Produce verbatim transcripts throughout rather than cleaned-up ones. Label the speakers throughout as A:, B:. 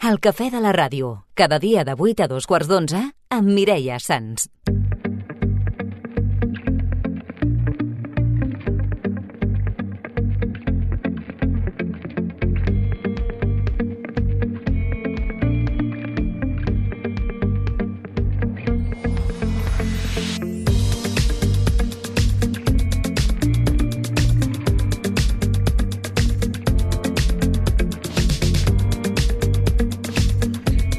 A: El cafè de la ràdio, cada dia de vuit a dos quarts d'onze, amb Mireia Sans.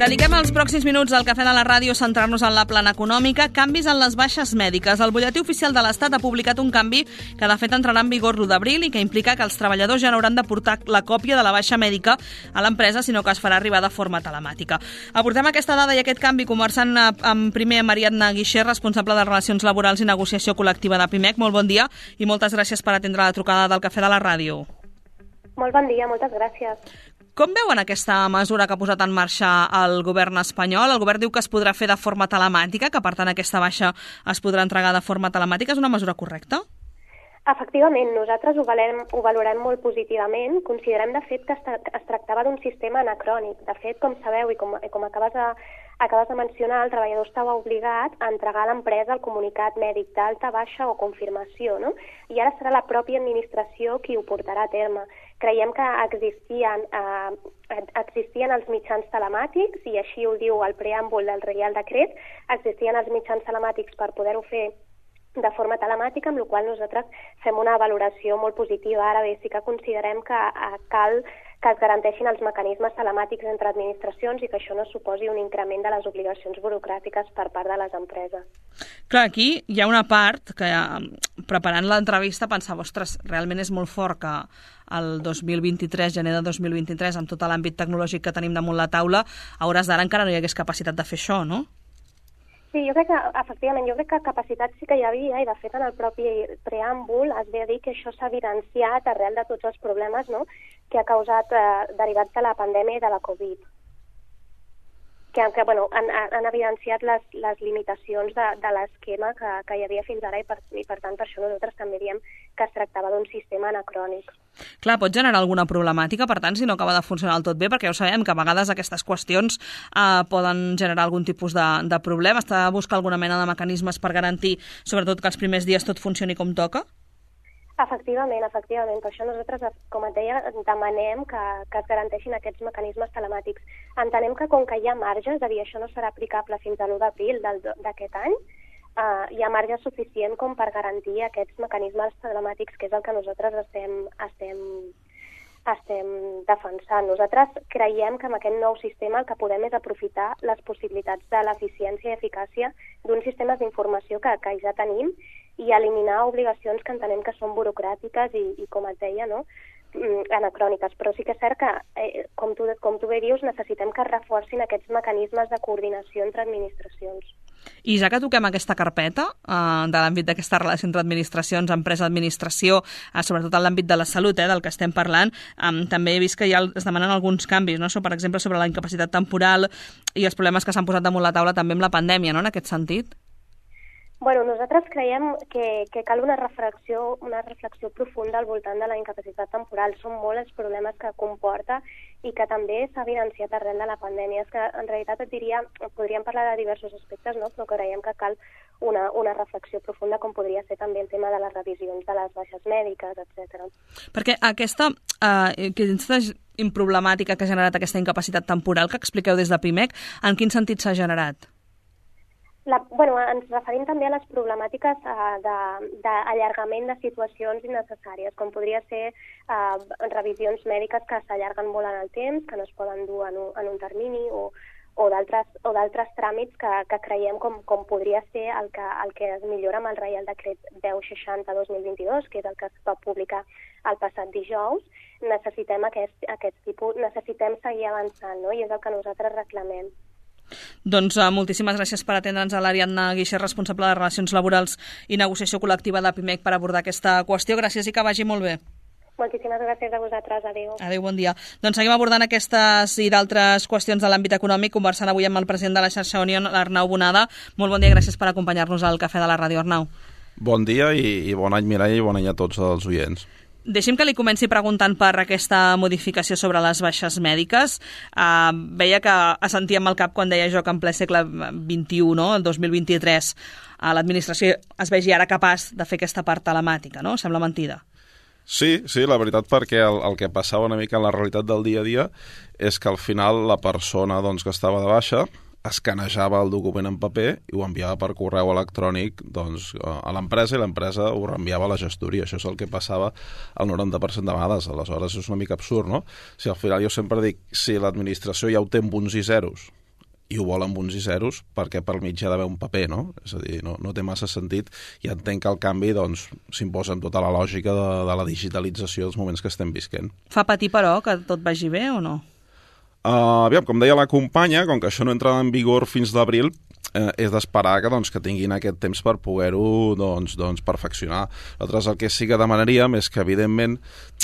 B: Dediquem els pròxims minuts al cafè de la ràdio a centrar-nos en la plana econòmica. Canvis en les baixes mèdiques. El butlletí oficial de l'Estat ha publicat un canvi que de fet entrarà en vigor l'u d'abril i que implica que els treballadors ja no hauran de portar la còpia de la baixa mèdica a l'empresa, sinó que es farà arribar de forma telemàtica. Abordem aquesta dada i aquest canvi conversant amb primer amb Ariadna Guixer, responsable de Relacions Laborals i Negociació Col·lectiva de Pimec. Molt bon dia i moltes gràcies per atendre la trucada del cafè de la ràdio.
C: Molt bon dia, moltes gràcies.
B: Com veuen aquesta mesura que ha posat en marxa el govern espanyol? El govern diu que es podrà fer de forma telemàtica, que per tant aquesta baixa es podrà entregar de forma telemàtica. És una mesura correcta?
C: Efectivament, nosaltres ho valorem, ho valorem molt positivament. Considerem, de fet, que es, es tractava d'un sistema anacrònic. De fet, com sabeu i com, com acabes de, acabes de mencionar, el treballador estava obligat a entregar a l'empresa el comunicat mèdic d'alta, baixa o confirmació, no? I ara serà la pròpia administració qui ho portarà a terme. Creiem que existien, eh, existien els mitjans telemàtics, i així ho diu el preàmbul del Reial Decret, existien els mitjans telemàtics per poder-ho fer de forma telemàtica, amb la qual nosaltres fem una valoració molt positiva. Ara bé, sí que considerem que eh, cal que es garanteixin els mecanismes telemàtics entre administracions i que això no suposi un increment de les obligacions burocràtiques per part de les empreses.
B: Clar, aquí hi ha una part que, preparant l'entrevista, pensava, ostres, realment és molt fort que el dos mil vint-i-tres, gener de dos mil vint-i-tres, amb tot l'àmbit tecnològic que tenim damunt la taula, a hores d'ara encara no hi hagués capacitat de fer això, no?
C: Sí, jo crec que, efectivament, jo crec que capacitat sí que hi havia, i de fet en el propi preàmbul es ve a dir que això s'ha evidenciat arrel de tots els problemes, no?, que ha causat eh, derivats de la pandèmia i de la Covid. Que, que bueno, han, han evidenciat les, les limitacions de, de l'esquema que, que hi havia fins ara i per, i per tant per això nosaltres també diem que es tractava d'un sistema anacrònic.
B: Clar, pot generar alguna problemàtica, per tant, si no acaba de funcionar del tot bé, perquè ja ho sabem que a vegades aquestes qüestions eh, poden generar algun tipus de, de problema. Està a buscar alguna mena de mecanismes per garantir, sobretot, que els primers dies tot funcioni com toca?
C: Efectivament, efectivament. Per això nosaltres, com et deia, demanem que, que es garanteixin aquests mecanismes telemàtics. Entenem que com que hi ha marge, és a dir, això no serà aplicable fins a l'u d'abril d'aquest any, eh, hi ha marge suficient com per garantir aquests mecanismes telemàtics, que és el que nosaltres estem, estem, estem defensant. Nosaltres creiem que amb aquest nou sistema el que podem és aprofitar les possibilitats de l'eficiència i eficàcia d'uns sistemes d'informació que, que ja tenim i eliminar obligacions que entenem que són burocràtiques i, i com et deia, no?, anacròniques. Però sí que és cert que, eh, com, tu, com tu bé dius, necessitem que es reforcin aquests mecanismes de coordinació entre administracions.
B: I ja que toquem aquesta carpeta eh, de l'àmbit d'aquesta relació entre administracions, empresa-administració, eh, sobretot en l'àmbit de la salut, eh, del que estem parlant, eh, també he vist que ja es demanen alguns canvis, no? So, per exemple, sobre la incapacitat temporal i els problemes que s'han posat damunt la taula també amb la pandèmia, no?, en aquest sentit.
C: Bueno, nosaltres creiem que, que cal una reflexió, una reflexió profunda al voltant de la incapacitat temporal. Són molts els problemes que comporta i que també s'ha evidenciat arrel de la pandèmia. És que, en realitat, et diria, podríem parlar de diversos aspectes, no?, però creiem que cal una, una reflexió profunda, com podria ser també el tema de les revisions de les baixes mèdiques, etcètera.
B: Perquè aquesta, eh, aquesta problemàtica que ha generat aquesta incapacitat temporal que expliqueu des de Pimec, en quin sentit s'ha generat?
C: La, bueno, ens referim també a les problemàtiques uh, d'allargament de, de situacions innecessàries, com podria ser uh, revisions mèdiques que s'allarguen molt en el temps, que no es poden dur en un, en un termini, o, o d'altres tràmits que, que creiem com, com podria ser el que, el que es millora amb el Reial Decret deu seixanta dos mil vint-i-dos, que és el que es va publicar el passat dijous. Necessitem aquest, aquest tipus, necessitem seguir avançant, no?, i és el que nosaltres reclamem.
B: Doncs uh, moltíssimes gràcies per atendre'ns a l'Ariadna Guixer, responsable de Relacions Laborals i Negociació Col·lectiva de Pimec, per abordar aquesta qüestió. Gràcies i que vagi molt bé.
C: Moltíssimes gràcies a vosaltres. Adéu.
B: Adéu, bon dia. Doncs seguim abordant aquestes i d'altres qüestions de l'àmbit econòmic, conversant avui amb el president de la xarxa Unión, l'Arnau Bonada. Molt bon dia i gràcies per acompanyar-nos al Cafè de la Ràdio, Arnau.
D: Bon dia i, i bon any, Mireia, i bon any a tots els oients.
B: Deixi'm que li comenci preguntant per aquesta modificació sobre les baixes mèdiques. Uh, veia que assentíem el cap quan deia jo que en ple segle vint-i-u, no? El dos mil vint-i-tres, uh, l'administració es vegi ara capaç de fer aquesta part telemàtica, no? Sembla mentida.
D: Sí, sí, la veritat, perquè el, el que passava una mica en la realitat del dia a dia és que al final la persona doncs, que estava de baixa escanejava el document en paper i ho enviava per correu electrònic doncs, a l'empresa i l'empresa ho reenviava a la gestoria. Això és el que passava el noranta per cent de vegades. Aleshores és una mica absurd, no? Si al final jo sempre dic, si l'administració ja ho té amb uns i zeros i ho vol amb uns i zeros, perquè per mig hi ha d'haver un paper, no? És a dir, no, no té massa sentit i entenc que el canvi doncs, s'imposa amb tota la lògica de, de la digitalització dels moments que estem visquent.
B: Fa patir, però, que tot vagi bé o no?
D: Uh, aviam, com deia la companya, com que això no entra en vigor fins d'abril, eh, és d'esperar que, doncs, que tinguin aquest temps per poder-ho doncs, doncs, perfeccionar. Nosaltres el que sí que demanaríem és que, evidentment,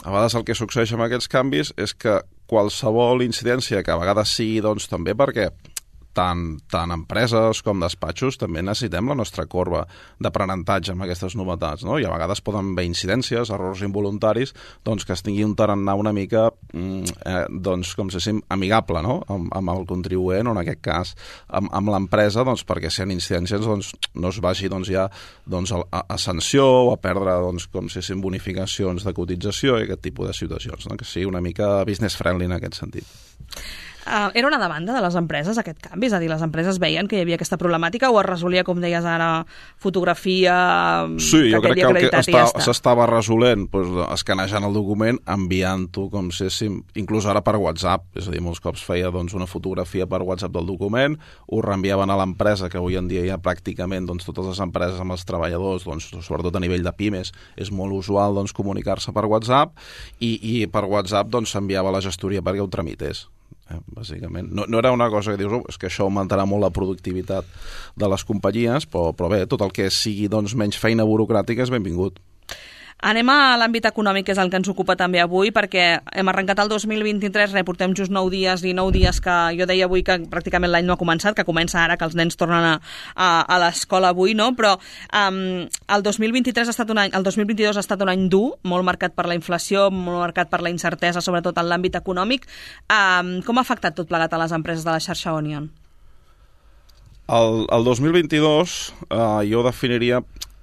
D: a vegades el que succeeix amb aquests canvis és que qualsevol incidència, que a vegades sigui doncs, també perquè tant, tant empreses com despatxos també necessitem la nostra corba d'aprenentatge amb aquestes novetats, no? I a vegades poden haver incidències, errors involuntaris, doncs que es tingui un tarannà una mica eh, doncs, com si fóssim amigable, no? Amb, amb el contribuent o en aquest cas amb, amb l'empresa, doncs perquè si hi ha incidències doncs, no es vagi doncs, ja doncs, a, a sanció o a perdre doncs, com si fóssim bonificacions de cotització i aquest tipus de situacions, no? Que sigui una mica business friendly en aquest sentit.
B: Uh, era una demanda de les empreses, aquest canvi? És a dir, les empreses veien que hi havia aquesta problemàtica o es resolia, com deies ara, fotografia...
D: Sí, jo crec que el que està,
B: ja
D: s'estava resolent doncs, escanejant el document, enviant-ho com si féssim, inclús ara per WhatsApp, és a dir, molts cops feia doncs, una fotografia per WhatsApp del document, ho reenviaven a l'empresa, que avui en dia ja pràcticament doncs, totes les empreses amb els treballadors, doncs, sobretot a nivell de pimes, és molt usual doncs, comunicar-se per WhatsApp i, i per WhatsApp doncs, s'enviava a la gestoria perquè ho tramités. Eh, bàsicament. No, no era una cosa que dius, oh, és que això augmentarà molt la productivitat de les companyies, però, però bé, tot el que sigui doncs, menys feina burocràtica és benvingut.
B: Anem a l'àmbit econòmic, que és el que ens ocupa també avui, perquè hem arrencat el dos mil vint-i-tres, reportem just nou dies i nou dies que jo deia avui que pràcticament l'any no ha començat, que comença ara, que els nens tornen a, a, a l'escola avui, no? Però um, el dos mil vint-i-tres ha estat un any, el dos mil vint-i-dos ha estat un any dur, molt marcat per la inflació, molt marcat per la incertesa, sobretot en l'àmbit econòmic. Um, com ha afectat tot plegat a les empreses de la xarxa Onion?
D: El, el dos mil vint-i-dos eh, jo definiria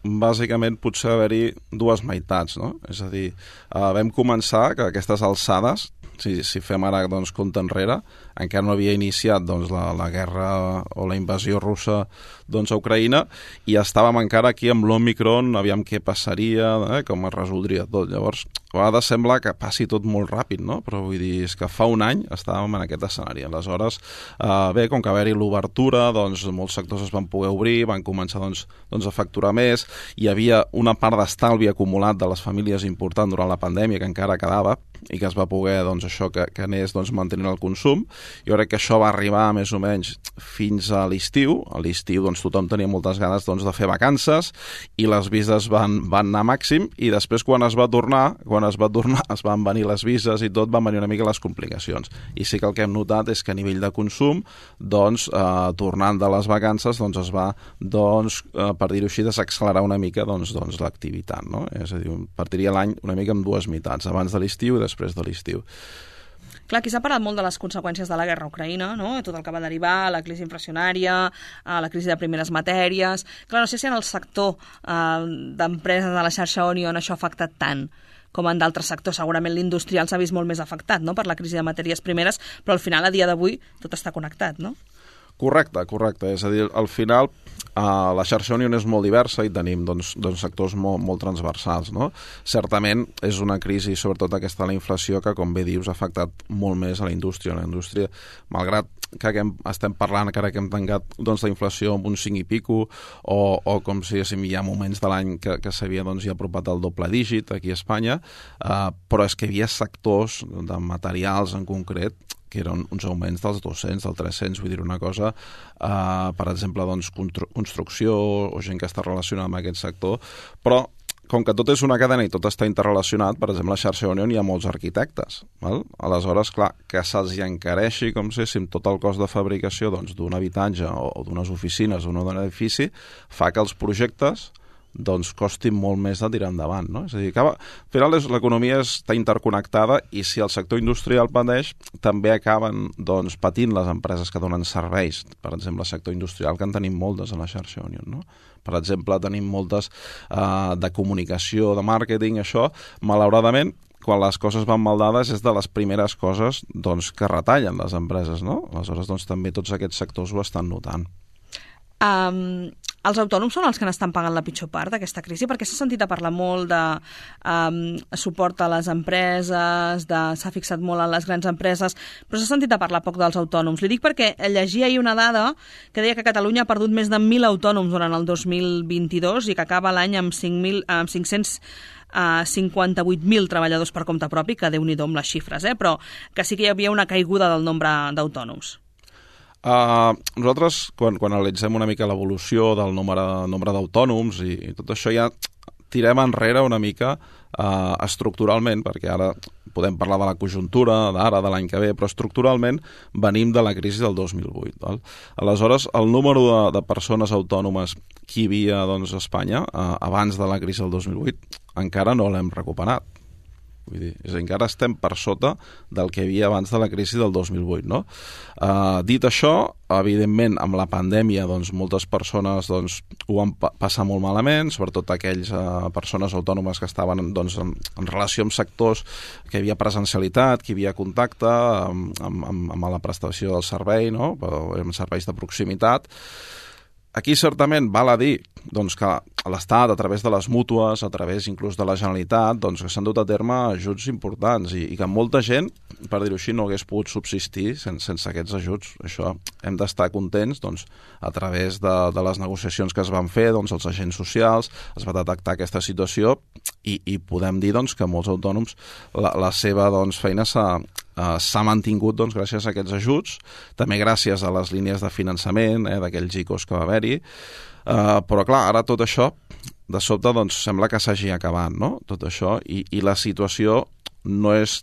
D: bàsicament potser haver-hi dues meitats, no? És a dir, eh, vam començar que aquestes alçades, si, si fem ara doncs, compte enrere, encara no havia iniciat doncs, la, la guerra o la invasió russa doncs, a Ucraïna i estàvem encara aquí amb l'Omicron, aviam què passaria, eh, com es resoldria tot. Llavors, a vegades sembla que passi tot molt ràpid, no? Però vull dir, és que fa un any estàvem en aquest escenari. Aleshores, eh, bé, com que haver-hi l'obertura, doncs molts sectors es van poder obrir, van començar doncs, doncs, a facturar més, hi havia una part d'estalvi acumulat de les famílies important durant la pandèmia que encara quedava i que es va poder, doncs, això que, que anés doncs, mantenint el consum. Jo crec que això va arribar més o menys fins a l'estiu. A l'estiu doncs, tothom tenia moltes ganes doncs, de fer vacances i les vises van, van anar a màxim i després quan es va tornar, quan es va tornar es van venir les vises i tot, van venir una mica les complicacions. I sí que el que hem notat és que a nivell de consum, doncs, eh, tornant de les vacances, doncs, es va, doncs, eh, per dir-ho així, desaccelerar una mica doncs, doncs, l'activitat, no? És a dir, partiria l'any una mica amb dues meitats, abans de l'estiu i després de l'estiu.
B: Clar, aquí s'ha parlat molt de les conseqüències de la guerra a Ucraïna, no? Tot el que va derivar, la crisi inflacionària, la crisi de primeres matèries... Clar, no sé si en el sector eh, d'empreses de la xarxa Onion això ha afectat tant com en d'altres sectors. Segurament l'industrial s'ha vist molt més afectat, no?, per la crisi de matèries primeres, però al final, a dia d'avui, tot està connectat, no?
D: Correcte, correcte. És a dir, al final eh, la xarxa Onion és molt diversa i tenim doncs, doncs, sectors molt, molt transversals, no? Certament és una crisi, sobretot aquesta de la inflació, que, com bé dius, ha afectat molt més a la indústria. La indústria, malgrat que hem, estem parlant que ara que hem tancat doncs, la inflació amb un cinc i pico, o, o com si hi ha moments de l'any que, que s'havia doncs, ja apropat al doble dígit aquí a Espanya, eh, però és que hi havia sectors de materials en concret que eren uns augments dels dos-cents, dels tres-cents, vull dir una cosa, eh, per exemple, doncs, construcció o gent que està relacionada amb aquest sector, però com que tot és una cadena i tot està interrelacionat, per exemple, a la xarxa Onion hi ha molts arquitectes, val? Aleshores, clar, que se'ls encareixi, com si fóssim, tot el cost de fabricació doncs, d'un habitatge o, o d'unes oficines o d'un edifici, fa que els projectes doncs costi molt més de tirar endavant, no? És a dir, que, al final l'economia està interconnectada i si el sector industrial pateix, també acaben doncs, patint les empreses que donen serveis. Per exemple, el sector industrial, que en tenim moltes a la xarxa Union, no? Per exemple, tenim moltes uh, de comunicació, de màrqueting, això, malauradament, quan les coses van mal dades és de les primeres coses doncs, que retallen les empreses, no? Aleshores, doncs, també tots aquests sectors ho estan notant.
B: Um, els autònoms són els que n'estan pagant la pitjor part d'aquesta crisi, perquè s'ha sentit a parlar molt de um, suport a les empreses, de, s'ha fixat molt en les grans empreses, però s'ha sentit a parlar poc dels autònoms. Li dic perquè llegia ahir una dada que deia que Catalunya ha perdut més de mil autònoms durant el dos mil vint-i-dos i que acaba l'any amb cinc-cents cinquanta-vuit mil treballadors per compte propi, que Déu-n'hi-do amb les xifres, eh? Però que sí que hi havia una caiguda del nombre d'autònoms.
D: Uh, nosaltres, quan, quan analitzem una mica l'evolució del nombre, nombre d'autònoms i, i tot això, ja tirem enrere una mica uh, estructuralment, perquè ara podem parlar de la conjuntura, d'ara, de l'any que ve, però estructuralment venim de la crisi del dos mil vuit. Val? Aleshores, el número de, de persones autònomes que hi havia doncs, a Espanya uh, abans de la crisi del dos mil vuit encara no l'hem recuperat. Vull dir, és a dir, encara estem per sota del que hi havia abans de la crisi del dos mil vuit, no? Uh, dit això, evidentment, amb la pandèmia, doncs, moltes persones doncs, ho van pa passar molt malament, sobretot aquells uh, persones autònomes que estaven doncs, en, en relació amb sectors que hi havia presencialitat, que hi havia contacte amb, amb, amb la prestació del servei, no? Amb serveis de proximitat. Aquí, certament, val a dir doncs, que l'Estat, a través de les mútues, a través inclús de la Generalitat, doncs, que s'han dut a terme ajuts importants i, i que molta gent, per dir-ho així, no hagués pogut subsistir sense, sense aquests ajuts. Això hem d'estar contents doncs, a través de, de les negociacions que es van fer, doncs, els agents socials, es va detectar aquesta situació i, i podem dir doncs, que molts autònoms la, la seva doncs, feina s'ha Uh, s'ha mantingut doncs, gràcies a aquests ajuts, també gràcies a les línies de finançament, eh, d'aquells I C Os que va haver-hi, uh, però clar, ara tot això de sobte doncs, sembla que s'hagi acabat, no? Tot això, i, i la situació no és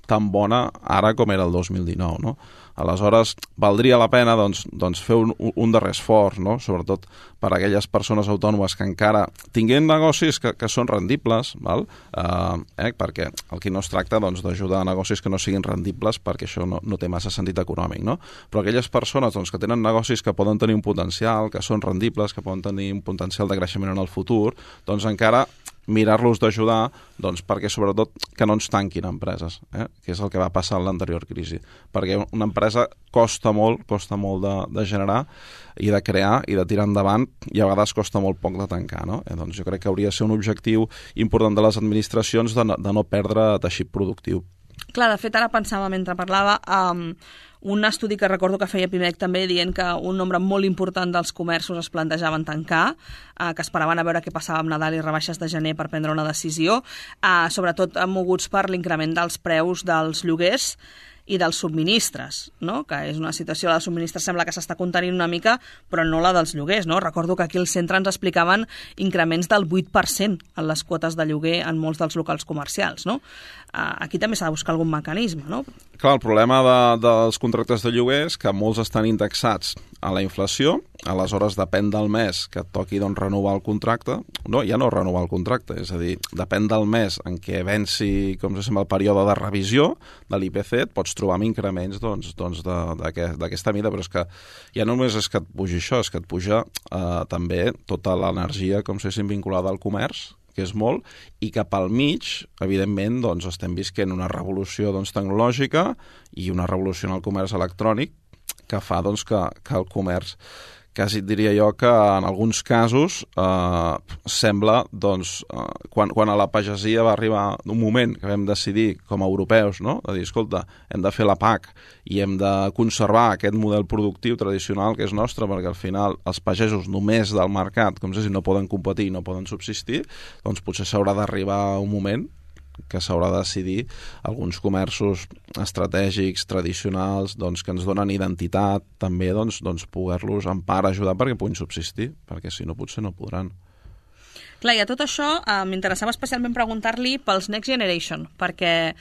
D: tan bona ara com era el dos mil dinou, no? Aleshores, valdria la pena doncs, doncs fer un, un darrer esforç, no? Sobretot per a aquelles persones autònomes que encara tinguin negocis que, que són rendibles, val? Uh, eh? Perquè el que no es tracta doncs, d'ajudar a negocis que no siguin rendibles perquè això no, no té massa sentit econòmic, no? Però aquelles persones doncs, que tenen negocis que poden tenir un potencial, que són rendibles, que poden tenir un potencial de creixement en el futur, doncs encara mirar-los d'ajudar doncs, perquè sobretot que no ens tanquin empreses, eh? Que és el que va passar en l'anterior crisi. Perquè una empresa costa molt, costa molt de, de generar i de crear i de tirar endavant i a vegades costa molt poc de tancar, no? Eh, doncs jo crec que hauria de ser un objectiu important de les administracions de no, de no perdre teixit productiu.
B: Clar, de fet, ara pensava mentre parlava um, un estudi que recordo que feia Pimec també dient que un nombre molt important dels comerços es plantejaven tancar, eh, que esperaven a veure què passava amb Nadal i rebaixes de gener per prendre una decisió, eh, sobretot moguts per l'increment dels preus dels lloguers i dels subministres, no? Que és una situació, la de subministres sembla que s'està contenint una mica, però no la dels lloguers, no? Recordo que aquí al centre ens explicaven increments del vuit per cent en les quotes de lloguer en molts dels locals comercials, no? Aquí també s'ha de buscar algun mecanisme, no?
D: Clar, el problema de, dels contractes de lloguer és que molts estan indexats a la inflació, aleshores depèn del mes que et toqui doncs, renovar el contracte, no, ja no renovar el contracte, és a dir, depèn del mes en què venci, com se sembla, el període de revisió de l'I P C, et pots trobar amb increments doncs, doncs d'aquesta mida, però és que ja no només és que et pugi això, és que et puja eh, també tota l'energia, com se sent vinculada al comerç, que és molt, i cap al mig, evidentment, doncs, estem visquent una revolució doncs, tecnològica i una revolució en el comerç electrònic que fa doncs, que, que el comerç, quasi et diria jo que en alguns casos eh, sembla, doncs, eh, quan, quan a la pagesia va arribar un moment que vam decidir com a europeus, no?, de dir, escolta, hem de fer la P A C i hem de conservar aquest model productiu tradicional que és nostre, perquè al final els pagesos només del mercat, com si no poden competir, no poden subsistir, doncs potser s'haurà d'arribar un moment que s'haurà de decidir alguns comerços estratègics, tradicionals, doncs, que ens donen identitat, també doncs, doncs, poder-los en part ajudar perquè puguin subsistir, perquè si no potser no podran.
B: Clar, i a tot això eh, m'interessava especialment preguntar-li pels Next Generation, perquè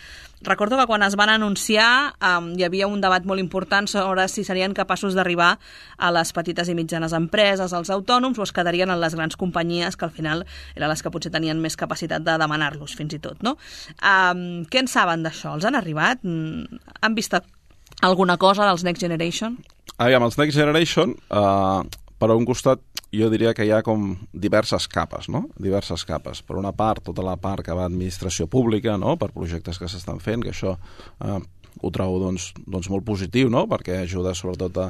B: recordo que quan es van anunciar eh, hi havia un debat molt important sobre si serien capaços d'arribar a les petites i mitjanes empreses, als autònoms, o es quedarien en les grans companyies, que al final eren les que potser tenien més capacitat de demanar-los, fins i tot, no? Eh, què en saben d'això? Els han arribat? Han vist alguna cosa dels Next Generation?
D: Aviam, els Next Generation, eh, per un costat, jo diria que hi ha com diverses capes, no? Diverses capes. Per una part, tota la part que va a administració pública, no? Per projectes que s'estan fent, que això eh, ho trobo doncs, doncs molt positiu, no? Perquè ajuda sobretot a,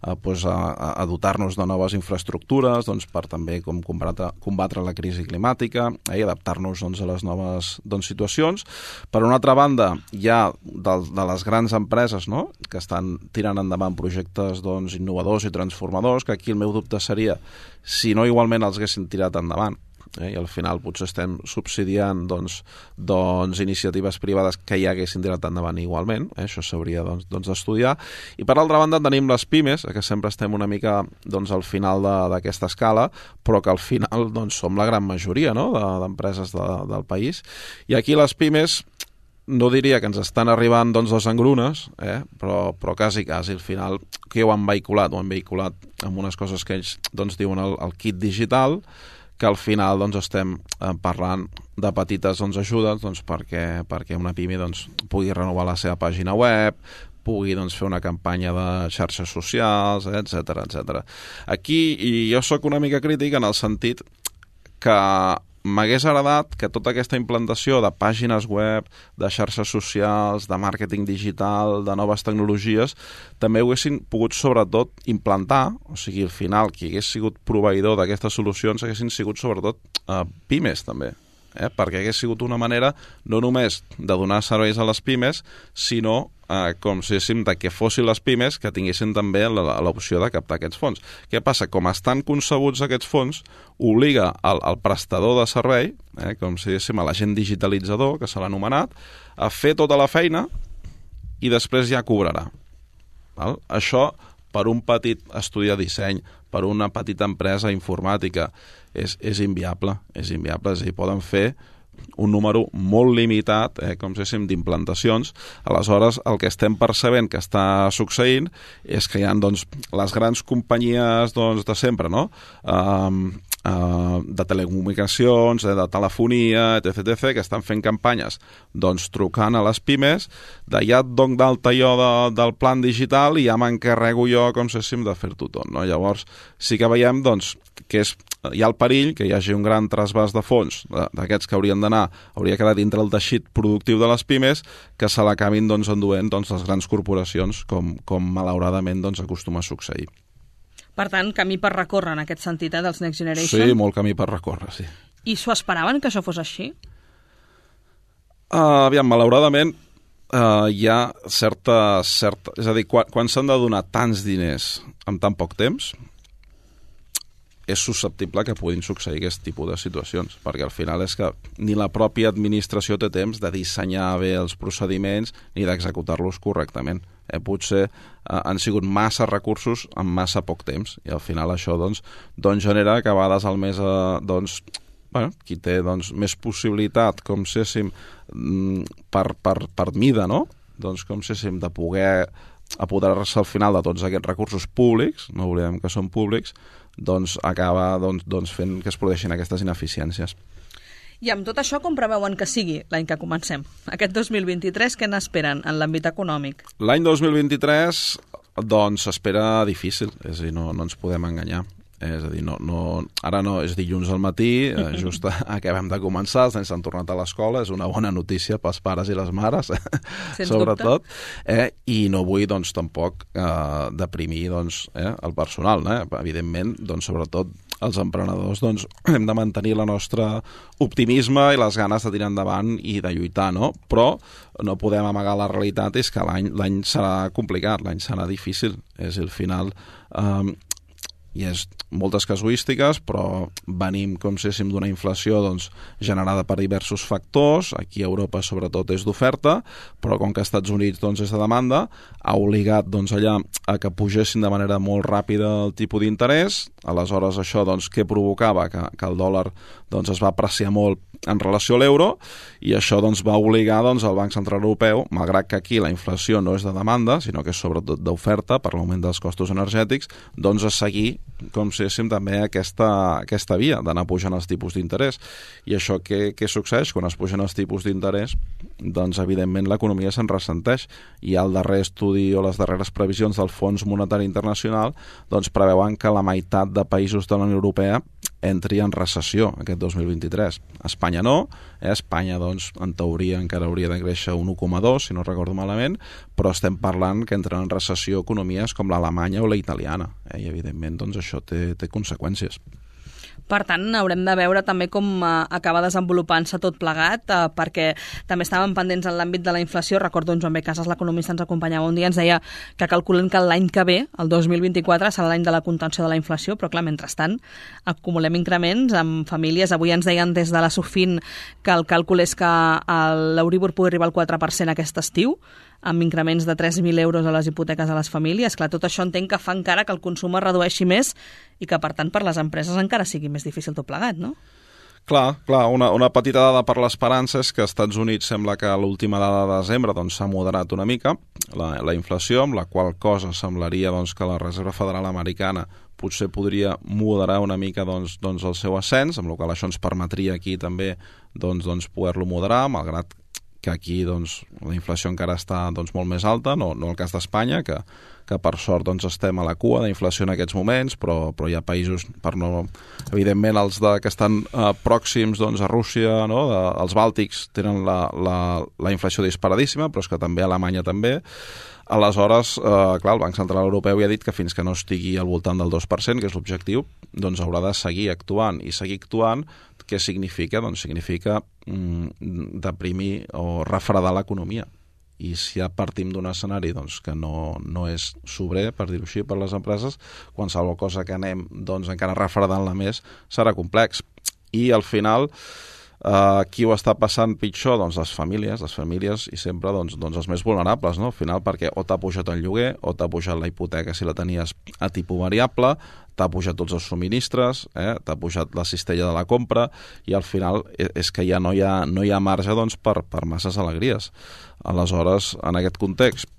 D: a, pues, a, a dotar-nos de noves infraestructures, doncs, per també com combatre, combatre la crisi climàtica eh, i adaptar-nos doncs, a les noves doncs, situacions. Per una altra banda, hi ha de, de les grans empreses, no? Que estan tirant endavant projectes doncs, innovadors i transformadors, que aquí el meu dubte seria si no igualment els haguessin tirat endavant. Eh, i al final potser estem subsidiant doncs, doncs, iniciatives privades que ja haguessin tirat endavant igualment, eh, això s'hauria doncs, doncs, d'estudiar. I per altra banda tenim les pimes, que sempre estem una mica doncs, al final d'aquesta escala, però que al final doncs, som la gran majoria, no? d'empreses de, del país. I aquí les pimes no diria que ens estan arribant doncs, dos engrunes, eh? però, però quasi, quasi, al final, que ho han vehiculat? Ho han vehiculat amb unes coses que ells doncs, diuen el, el kit digital, que al final doncs, estem eh, parlant de petites doncs, ajudes doncs, perquè, perquè una pime doncs, pugui renovar la seva pàgina web, pugui doncs, fer una campanya de xarxes socials, etcètera, etcètera. Aquí i jo sóc una mica crític en el sentit que m'hagués agradat que tota aquesta implantació de pàgines web, de xarxes socials, de màrqueting digital, de noves tecnologies, també ho haguessin pogut sobretot implantar, o sigui, al final, qui hagués sigut proveïdor d'aquestes solucions haguessin sigut sobretot eh, pimes també, eh? perquè hagués sigut una manera no només de donar serveis a les pimes, sinó eh, com si diguéssim de que fossin les pimes que tinguessin també l'opció de captar aquests fons. Què passa? Com estan concebuts aquests fons, obliga al, al prestador de servei, eh, com si diguéssim a l'agent digitalitzador, que se l'ha anomenat, a fer tota la feina i després ja cobrarà. Val? Això, per un petit estudi de disseny, per una petita empresa informàtica, és, és inviable, és inviable, és a dir, poden fer un número molt limitat, eh, com si diguéssim, d'implantacions. Aleshores, el que estem percebent que està succeint és que hi ha doncs, les grans companyies doncs, de sempre, no? Um, uh, de telecomunicacions, eh, de telefonia, etcètera, etcètera, que estan fent campanyes doncs, trucant a les pimes, de ja et dono d'alta jo de, del plan digital i ja m'encarrego jo, com si diguéssim, de fer-ho tot. No? Llavors, sí que veiem doncs, que és, hi ha el perill que hi hagi un gran trasbàs de fons d'aquests que haurien d'anar, hauria quedat dintre el teixit productiu de les pimes, que se l'acabin doncs, enduent doncs, les grans corporacions, com, com malauradament doncs, acostuma a succeir.
B: Per tant, camí per recórrer en aquest sentit, eh, dels Next Generation?
D: Sí, molt camí per recórrer, sí.
B: I s'ho esperaven que això fos així?
D: Uh, aviam, malauradament uh, hi ha certa, certa... És a dir, quan, quan s'han de donar tants diners en tan poc temps, és susceptible que puguin succeir aquest tipus de situacions, perquè al final és que ni la pròpia administració té temps de dissenyar bé els procediments ni d'executar-los correctament. Eh, potser eh, han sigut massa recursos en massa poc temps i al final això doncs, doncs genera que a vegades el més eh, doncs, bueno, qui té doncs, més possibilitat com si diguéssim per, per, per mida, no? Doncs com si diguéssim de poder apoderar-se al final de tots aquests recursos públics, no oblidem que són públics, doncs acaba doncs, doncs fent que es produeixin aquestes ineficiències.
B: I amb tot això, com preveuen que sigui l'any que comencem? Aquest dos mil vint-i-tres, què n'esperen en l'àmbit econòmic?
D: L'any dos mil vint-i-tres, doncs, s'espera difícil, és a dir, no, no ens podem enganyar. És a dir, no, no, ara no, és dilluns al matí, eh, just acabem de començar, els nens s'han tornat a l'escola, és una bona notícia pels pares i les mares, sobretot, eh, i no vull, doncs, tampoc eh, deprimir doncs, eh, el personal, eh? Evidentment, doncs, sobretot els emprenedors, doncs, hem de mantenir la nostra optimisme i les ganes de tirar endavant i de lluitar, no? Però no podem amagar la realitat, és que l'any l'any serà complicat, l'any serà difícil, és el final... Eh, i és moltes casuístiques, però venim, com si diguéssim, d'una inflació doncs, generada per diversos factors. Aquí a Europa, sobretot, és d'oferta, però com que als Estats Units doncs, és de demanda, ha obligat doncs, allà a que pugessin de manera molt ràpida el tipus d'interès, Aleshores, això doncs, què provocava? Que, que el dòlar doncs, es va apreciar molt en relació a l'euro i això doncs, va obligar doncs, el Banc Central Europeu, malgrat que aquí la inflació no és de demanda, sinó que és sobretot d'oferta per l'augment dels costos energètics, doncs a seguir, com si diguéssim, també aquesta, aquesta via d'anar pujant els tipus d'interès. I això què, què succeeix? Quan es pugen els tipus d'interès, doncs evidentment l'economia se'n ressenteix. I el darrer estudi o les darreres previsions del Fons Monetari Internacional doncs preveuen que la meitat de països de la Unió Europea entri en recessió aquest dos mil vint-i-tres. Espanya no, eh? Espanya doncs, en teoria encara hauria de créixer un u coma dos, si no recordo malament, però estem parlant que entren en recessió economies com l'alemanya o la italiana, eh? I evidentment doncs, això té, té conseqüències.
B: Per tant, haurem de veure també com eh, acaba desenvolupant-se tot plegat, eh, perquè també estàvem pendents en l'àmbit de la inflació. Recordo en Joan B. Casas, l'economista, ens acompanyava un dia, ens deia que calculen que l'any que ve, el dos mil vint-i-quatre, serà l'any de la contenció de la inflació, però clar, mentrestant acumulem increments amb famílies. Avui ens deien des de la Sofin que el càlcul és que l'Euríbor pugui arribar al quatre per cent aquest estiu, amb increments de tres mil euros a les hipoteques a les famílies. Clar, tot això entenc que fa encara que el consum es redueixi més i que, per tant, per les empreses encara sigui més difícil tot plegat, no?
D: Clar, clar, una, una petita dada per l'esperança és que als Estats Units sembla que l'última dada de desembre doncs, s'ha moderat una mica la, la inflació, amb la qual cosa semblaria doncs, que la Reserva Federal Americana potser podria moderar una mica doncs, doncs, el seu ascens, amb la qual això ens permetria aquí també doncs, doncs, poder-lo moderar, malgrat que aquí doncs, la inflació encara està doncs, molt més alta, no, no el cas d'Espanya, que, que per sort doncs, estem a la cua d'inflació en aquests moments, però, però hi ha països, per no, evidentment els de, que estan eh, pròxims doncs, a Rússia, no? de, els bàltics tenen la, la, la inflació disparadíssima, però és que també Alemanya també. Aleshores, eh, clar, el Banc Central Europeu ja ha dit que fins que no estigui al voltant del dos per cent, que és l'objectiu, doncs haurà de seguir actuant. I seguir actuant, què significa? Doncs significa mm, deprimir o refredar l'economia. I si ja partim d'un escenari doncs, que no, no és sobrer, per dir-ho així, per les empreses, qualsevol cosa que anem doncs, encara refredant-la més serà complex. I al final, Uh, qui ho està passant pitjor? Doncs les famílies, les famílies i sempre doncs, doncs els més vulnerables, no? Al final, perquè o t'ha pujat el lloguer, o t'ha pujat la hipoteca si la tenies a tipus variable, t'ha pujat tots els subministres, eh? T'ha pujat la cistella de la compra, i al final és que ja no hi ha, no hi ha marge doncs, per, per masses alegries. Aleshores, en aquest context,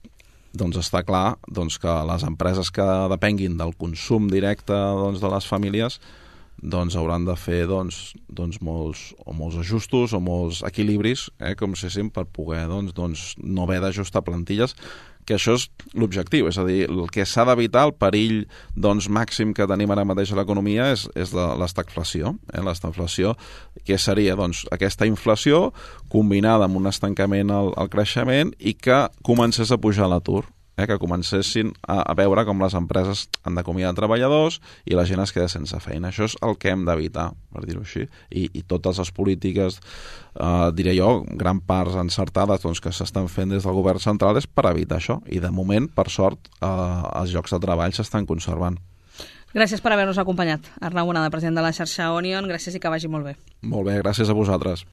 D: doncs està clar doncs, que les empreses que depenguin del consum directe doncs, de les famílies doncs hauran de fer doncs, doncs molts, o molts ajustos o molts equilibris, eh, com si diguéssim, per poder doncs, doncs, no haver d'ajustar plantilles, que això és l'objectiu, és a dir, el que s'ha d'evitar, el perill doncs, màxim que tenim ara mateix a l'economia és, és l'estagflació. Eh? L'estagflació, que seria doncs, aquesta inflació combinada amb un estancament al, al creixement i que comencés a pujar l'atur. Eh, que comencessin a, a veure com les empreses han d'acomiadar treballadors i la gent es queda sense feina. Això és el que hem d'evitar, per dir-ho així. I, i totes les polítiques, eh, diré jo, gran part encertades doncs, que s'estan fent des del govern central és per evitar això. I de moment, per sort, eh, els llocs de treball s'estan conservant.
B: Gràcies per haver-nos acompanyat. Arnau Bonada, president de la xarxa Onion, gràcies i que vagi molt bé.
D: Molt bé, gràcies a vosaltres.